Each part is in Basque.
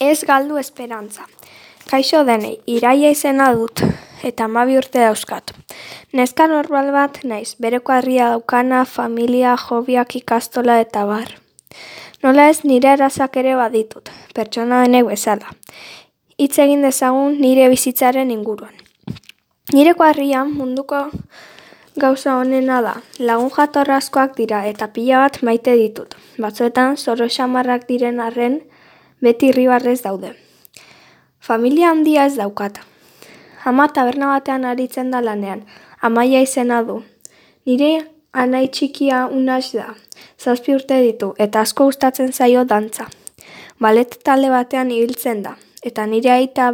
Ez galdu esperantza. Kaixo denei, Iraia izena dut, eta 12 urte dauzkat. Neska normal bat naiz, bere kuadria daukana, familia, hobiak, ikastola eta bar. Nola ez nire arazak ere baditut, pertsona denek bezala. Hitz egin dezagun nire bizitzaren inguruan. Nire kuadrian munduko gauza honena da, lagun jatorrazkoak dira eta pila bat maite ditut. Batzuetan zoro xamarrak diren arren beti irribarrez daude. Familia handia ez daukat. Ama taberna batean aritzen da lanean, Amaia izena du. Nire anai txikia Unax da, 7 urte ditu eta asko gustatzen zaio dantza. Ballet talde batean ibiltzen da, eta nire aita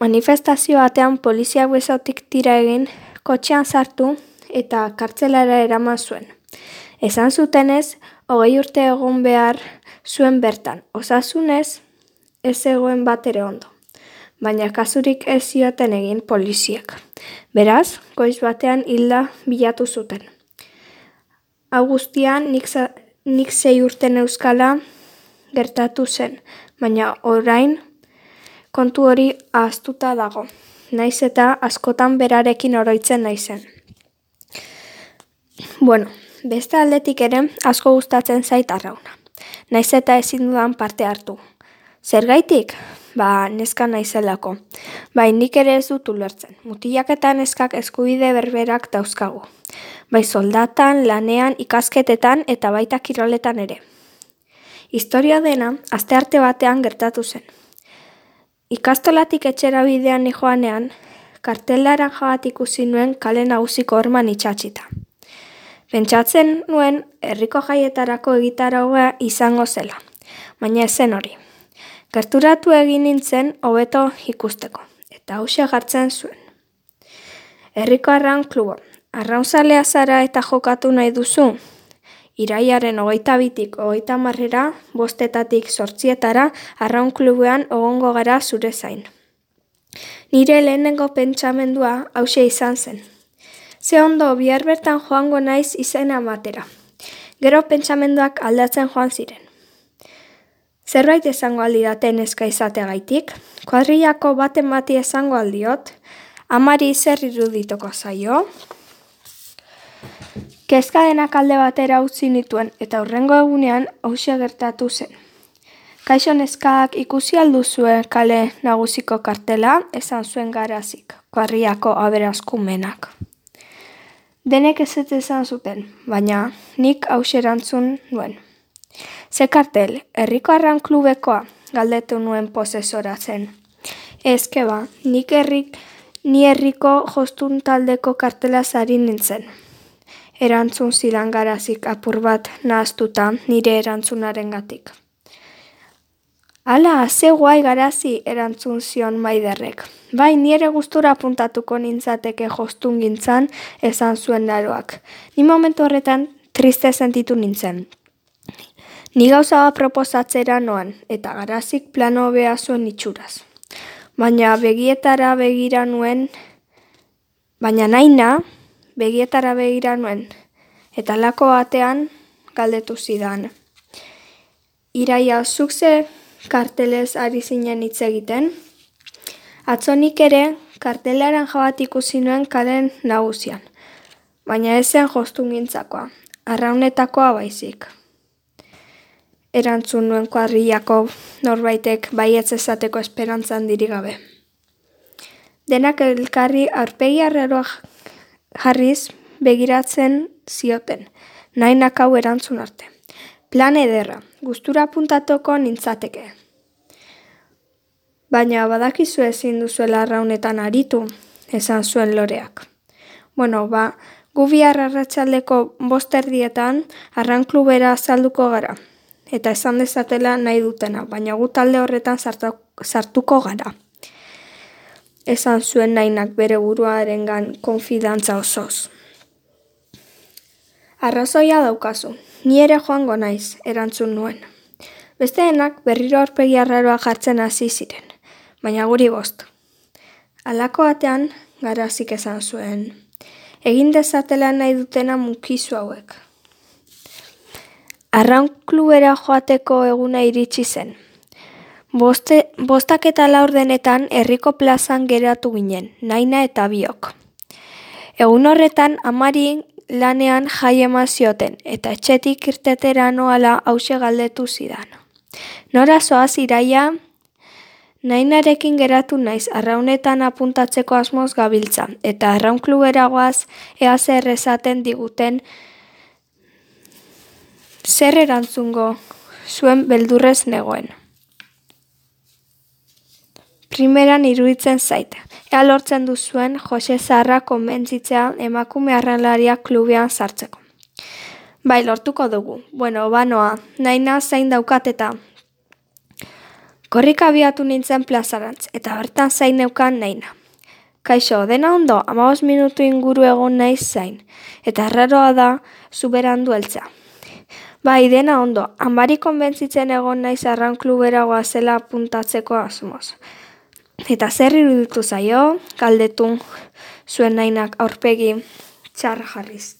manifestazio batean poliziak besotik tira egin, kotxean sartu eta kartzelara eraman zuen. Esan zutenez, 20 urte egon behar zuen bertan, osasunez ez zegoen bat ere ondo. Baina kasurik ez zioten egin poliziak. Beraz, goiz batean hilda bilatu zuten. Hau guztian nik 6 urte neuzkala gertatu zen, baina orain kontu hori ahaztuta dago. Naiz eta askotan berarekin oroitzen naizen. Beste aldetik ere asko gustatzen zait arrauna. Naiz eta ezin dudan parte hartu. Zergaitik? Neska naizelako. Nik ere ez dut ulertzen. Mutilak eta neskak eskubide berberak dauzkagu. Soldatan, lanean, ikasketetan eta baita kiroletan ere. Historia dena, astearte batean gertatu zen. Ikastolatik etxera bidean nijoanean, kartelaran bat ikusi nuen kale nagusiko horman itxatxita. Pentsatzen nuen herriko jaietarako egitaraua izango zela, baina ez zen hori. Gerturatu egin nintzen hobeto ikusteko, eta hauxe jartzen zuen. Herriko arraun klubo, arraunzalea zara eta jokatu nahi duzu? Iraiaren 22-tik 30-era, 5-etatik 8-etara, arraun klubean egongo gara zure zain. Nire lehenengo pentsamendua hauxe izan zen. Ze ondo, bihar bertan joango naiz izena ematera. Gero pentsamenduak aldatzen joan ziren. Zerbait esango aldidate neska izateagaitik, kuadrillako baten bati esango aldiot, amari zer irudituko zaio. Kezka denak alde batera utzi nituen eta hurrengo egunean hauxe gertatu zen. Kaixo neskak ikusi alduzue kale nagusiko kartela, esan zuen Garazik, kuadrillako aberaskumenak. Denek ez esan zuten, baina nik hauxe erantzun nuen. Ze kartel, herriko arraun klubekoa, galdetu nuen posesora zen. Ezkeba, ni herriko jostun taldeko kartela zari nintzen. Erantzun zidan Garazik apur bat nahaztuta nire erantzunarengatik. Ala, ze guai Garazi, erantzun zion Maiderrek. Ni ere gustura apuntatuko nintzateke jostun gintzan, esan zuen naroak. Ni momentu horretan triste sentitu nintzen. Ni gauza bat proposatzera noan, eta Garazik plano hobea zuen itxuraz. Baina begietara begira nuen, eta lako batean galdetu zidan. Iraia, zuk ze kartelez ari zinen hitz egiten? Atzonik ere kartelaran jabat ikusi nuen kalen nagusian, baina ez zen jostun gintzakoa, arraunetakoa baizik. Erantzun nuen kuadrillako norbaitek baietz esateko esperantzan dirigabe. Denak elkarri aurpegi arraroak jarriz begiratzen zioten, nahinak hau erantzun arte. Plan ederra, gustura apuntatuko nintzateke. Baina badakizu ezin duzuela arraunetan aritu, esan zuen Loreak. Gu bihar arratsaldeko 5:00 arraun klubera azalduko gara. Eta esan dezatela nahi dutena, baina gu talde horretan sartuko gara. Esan zuen nahinak bere buruarengan konfidantza osoz. Arrazoia daukazu, ni ere joango naiz, erantzun nuen. Besteenak berriro aurpegi arraroa jartzen hasi ziren, baina guri 5. Halako batean Garazik esan zuen. Egin dezatela nahi dutena mukizu hauek. Arraun klubera joateko eguna iritsi zen. 5:04 herriko plazan geratu ginen, Naina eta biok. Egun horretan amari lanean jai eman zioten, eta etxetik irtetera noala hause galdetu zidan. Nora zoaz Iraia? Nainarekin geratu naiz arraunetan apuntatzeko asmoz gabiltza, eta arraun klubera goaz ea zer esaten diguten. Zer erantzungo zuen beldurrez negoen. Primeran iruditzen zait, ea lortzen duzuen Jose Zaharra konbentzitzea emakume arraunlariak klubean sartzeko. Bai, lortuko dugu. Bueno, banoa, Naina zain daukat eta korrika abiatu nintzen plazarantz, eta bertan zain neukan Naina. Kaixo, dena ondo, 15 minutu inguru egon naiz zain, eta arraroa da zuberandu heltzea. Bai, dena ondo, amari konbentzitzen egon naiz arraun klubera goazela apuntatzeko asmoz. Eta zer iruditu zaio, galdetu zuen Nainak aurpegi txar jarriz.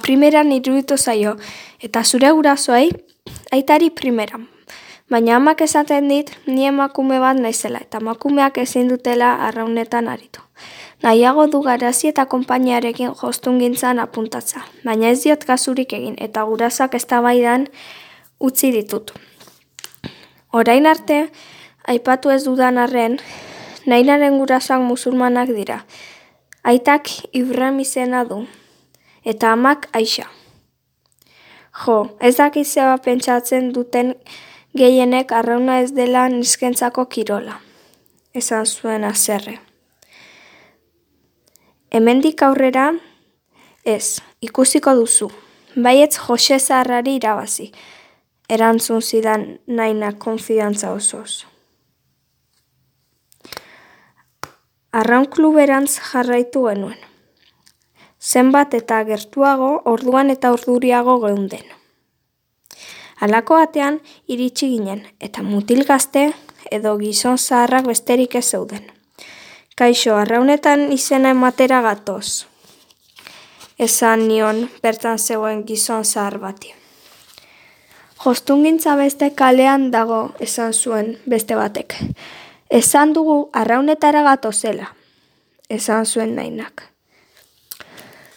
Primeran iruditu zaio, eta zure gurasoei, aitari primeran. Baina amak esaten dit, ni emakume bat naizela, eta emakumeak ezin dutela arraunetan aritu. Nahiago du garazi eta konpainiarekin jostungintzan apuntatza, baina ez diot kasurik egin, eta gurasoak eztabaidan utzi ditut. Orain arte, aipatu ez dudan arren, Nainaren gurasoak musulmanak dira. Aitak Ibrahim izena du, eta amak Aixa. Jo, ez dakit zeba pentsatzen duten gehienek arrauna ez dela neskentzako kirola, esan zuen haserre. Hemendik aurrera, ez, ikusiko duzu, baietz Jose Zaharrari irabazi, erantzun zidan Nainak konfidantza osoz. Arraun kluberantz jarraitu genuen. Zenbat eta gertuago, orduan eta orduriago geunden. Halako batean iritsi ginen, eta mutil gazte edo gizon zaharrak besterik ez zeuden. Kaixo, arraunetan izena ematera gatoz, esan nion bertan zegoen gizon zahar bati. Jostungintza beste kalean dago, esan zuen beste batek. Esan dugu arraunetara gatozela, esan zuen Nainak.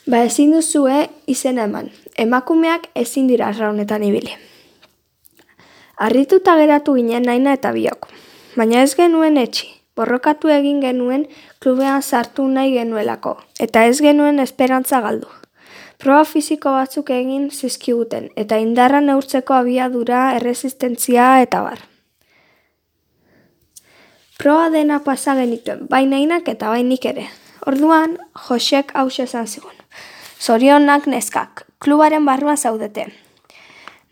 Ezin duzue izena eman, emakumeak ezin dira arraunetan ibili. Harrituta geratu ginen Naina eta biok, baina ez genuen etxi, borrokatu egin genuen klubean sartu nahi genuelako, eta ez genuen esperantza galdu. Proba fisiko batzuk egin zizkiguten, eta indarra neurtzeko abiadura, erresistentzia eta bar. Proba dena pasa genituen, bai Nainak eta bai nik ere. Orduan, Josek hause esan zigun. Zorionak neskak, klubaren barruan zaudete.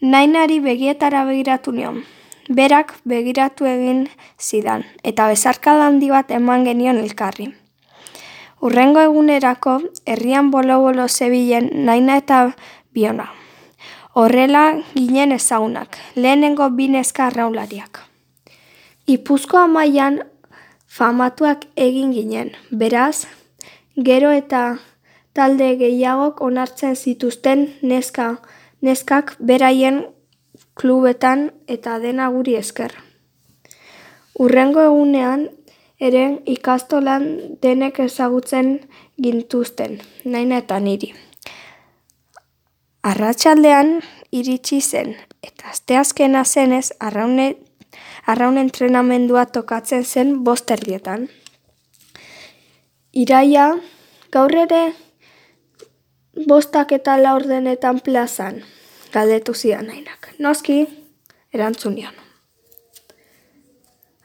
Nainari begietara begiratu nion. Berak begiratu egin zidan, eta bezarkada handi bat eman genion elkarri. Hurrengo egunerako, herrian bolo-bolo zebilen Naina eta biona. Horrela ginen ezagunak, lehenengo bi neska arraunlariak. Ipuzkoa mailan famatuak egin ginen, beraz, gero eta talde gehiagok onartzen zituzten neskak beraien klubetan eta dena guri esker. Hurrengo egunean ere ikastolan denek ezagutzen gintuzten, Naina eta niri. Arratsaldean iritsi zen, eta asteazkena zenez arraun entrenamendua tokatzen zen 5:00. Iraia, gaur ere 5:04 plazan, galdetu zidan Nainak. Noski, erantzun nion.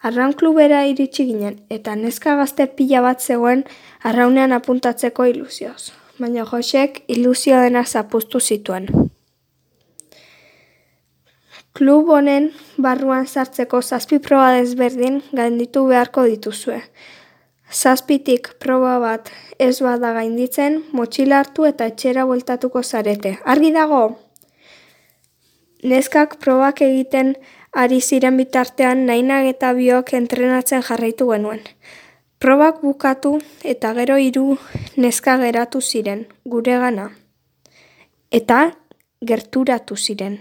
Arraun klubera iritsi ginen, eta neska gazte pila bat zegoen arraunean apuntatzeko ilusioz, baina Josek ilusio dena zapuztu zituen. Klub honen barruan sartzeko 7 proba desberdin gainditu beharko dituzue. 7tik proba bat ez bada gainditzen, motxila hartu eta etxera bueltatuko zarete. Argi dago? Neskak probak egiten ari ziren bitartean Nainak eta biok entrenatzen jarraitu genuen. Probak bukatu eta gero 3 neska geratu ziren guregana. Eta gerturatu ziren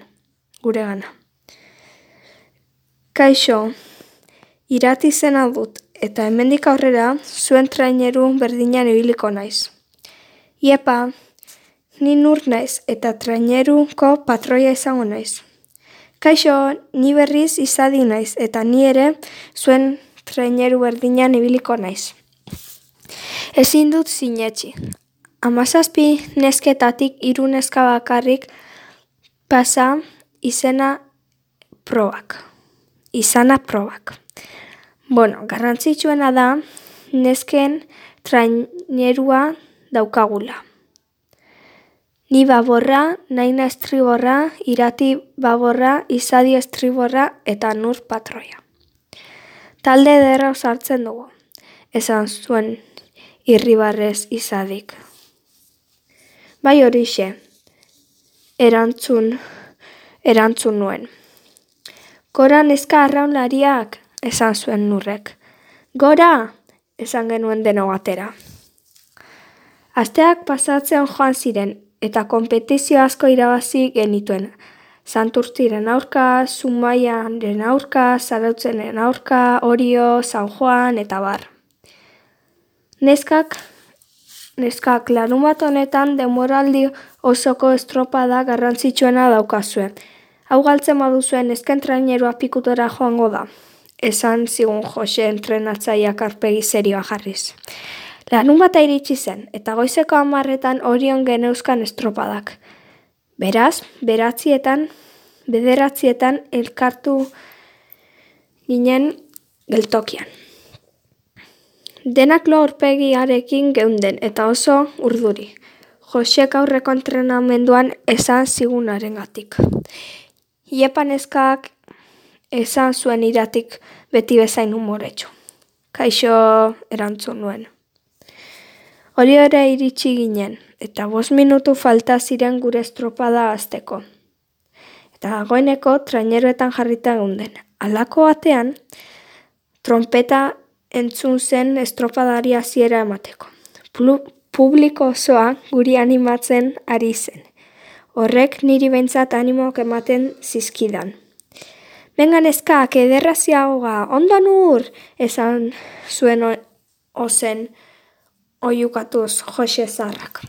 guregana. Kaixo, Irati izena dut, eta hemendik aurrera zuen traineru berdinean ibiliko naiz. Iepa, ni nur naiz eta traineruko patroia izango naiz. Kaixo, ni berriz izadi naiz eta ni ere zuen traineru berdinean ibiliko naiz. Ezin dut sinetsi. 17 nesketatik 3 neska bakarrik pasa izana probak. Garrantzitsuena da nesken trainerua daukagula. Ni baborra, Naina estriborra, Irati baborra, Izadi estriborra eta nur patroia. Talde ederra osartzen dugu, esan zuen irribarrez Izadik. Bai horixe, erantzun nuen. Gora neska arraunlariak, esan zuen nurrek. Gora, esan genuen deno batera. Asteak pasatzen joan ziren eta konpetizio asko irabazi genituen. Santurtziren aurka, Zumaiaren aurka, Zarautzenen aurka, Orio, San Juan eta bar. Neskak larunbat honetan denboraldi osoko estropada garrantzitsuena daukazue. Hau galtzen baduzuen nesken trainerua pikutora joango da, esan zigun Jose entrenatzaileak aurpegi serioa jarriz. Larunbata iritsi zen, eta goizeko 10:00 Orion geneuzkan estropadak. Beraz, 9:00 elkartu ginen geltokian. Denak lo aurpegiarekin geunden eta oso urduri. Josek aurreko entrenamenduan esan zigunarengatik. Iepa neskak esan zuen Iratik beti bezain umoretsu. Kaixo, erantzun nuen. Hori ere iritsi ginen, eta 5 minutu falta ziren gure estropada hasteko. Eta dagoeneko traineruetan jarrita geunden. Halako batean, trompeta entzun zen estropadari hasiera emateko. Publiko osoa guri animatzen ari zen. Horrek niri behintzat animoak ematen zizkidan. Benga neskak, ederraziagoa, ondo nur, esan zuen ozen oiukatuz Jose Zarrak.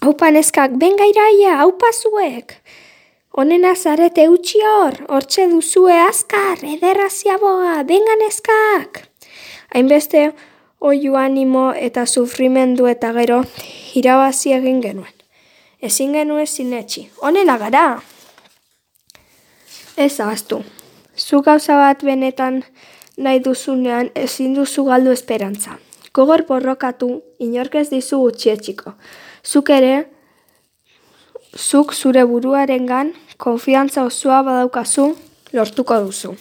Aupa neskak, benga iraia, aupa zuek. Honena zarete utzi hortxe duzue azkar, ederraziagoa, benga neskak. Hainbeste oiu animo eta sufrimendu eta gero irabazi egin genuen. Ezin genuen sinetsi, honela gara. Ez ahaztu. Zu gauza bat benetan nahi duzunean ezin duzu galdu esperantza. Gogor borrokatu, inork ez dizu gutxietsiko. Zuk zure buruarengan konfiantza osoa badaukazu lortuko duzu.